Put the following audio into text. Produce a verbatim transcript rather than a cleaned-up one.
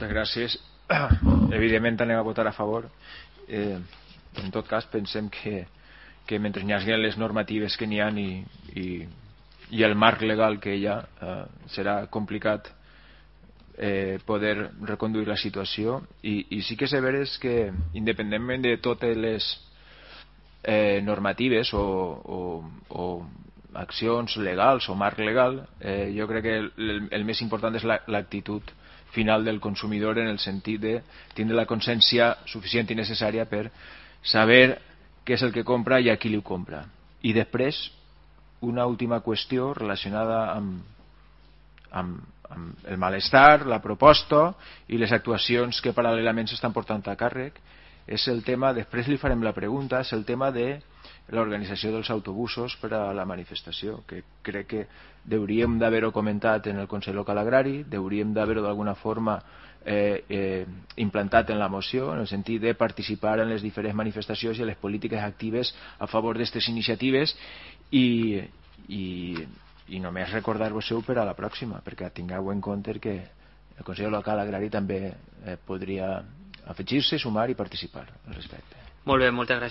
Moltes gràcies. Evidentment anem a votar a favor. Eh, en tot cas pensem que, que mentre hi hagi les normatives que n'hi ha i, i, i el marc legal que hi ha, eh, serà complicat eh, poder reconduir la situació i, i sí que és veres que independentment de totes les eh, normatives o, o, o accions legals o marc legal, eh, jo crec que el, el més important és l'actitud la, final del consumidor, en el sentit de tindre la consciència suficient i necessària per saber què és el que compra i a qui li ho compra. I després una última qüestió relacionada amb, amb, amb el malestar, la proposta i les actuacions que paral·lelament s'estan portant a càrrec. És el tema, després li farem la pregunta, és el tema de l'organització dels autobusos per a la manifestació, que crec que hauríem d'haver-ho comentat en el Consell Local Agrari, hauríem d'haver-ho d'alguna forma eh, eh, implantat en la moció, en el sentit de participar en les diferents manifestacions i en les polítiques actives a favor d'aquestes iniciatives i, i, i només recordar-vos-ho per a la pròxima, perquè tingueu en compte que el Consell Local Agrari també eh, podria afegir-se, sumar i participar al respecte. Molt bé, moltes gràcies.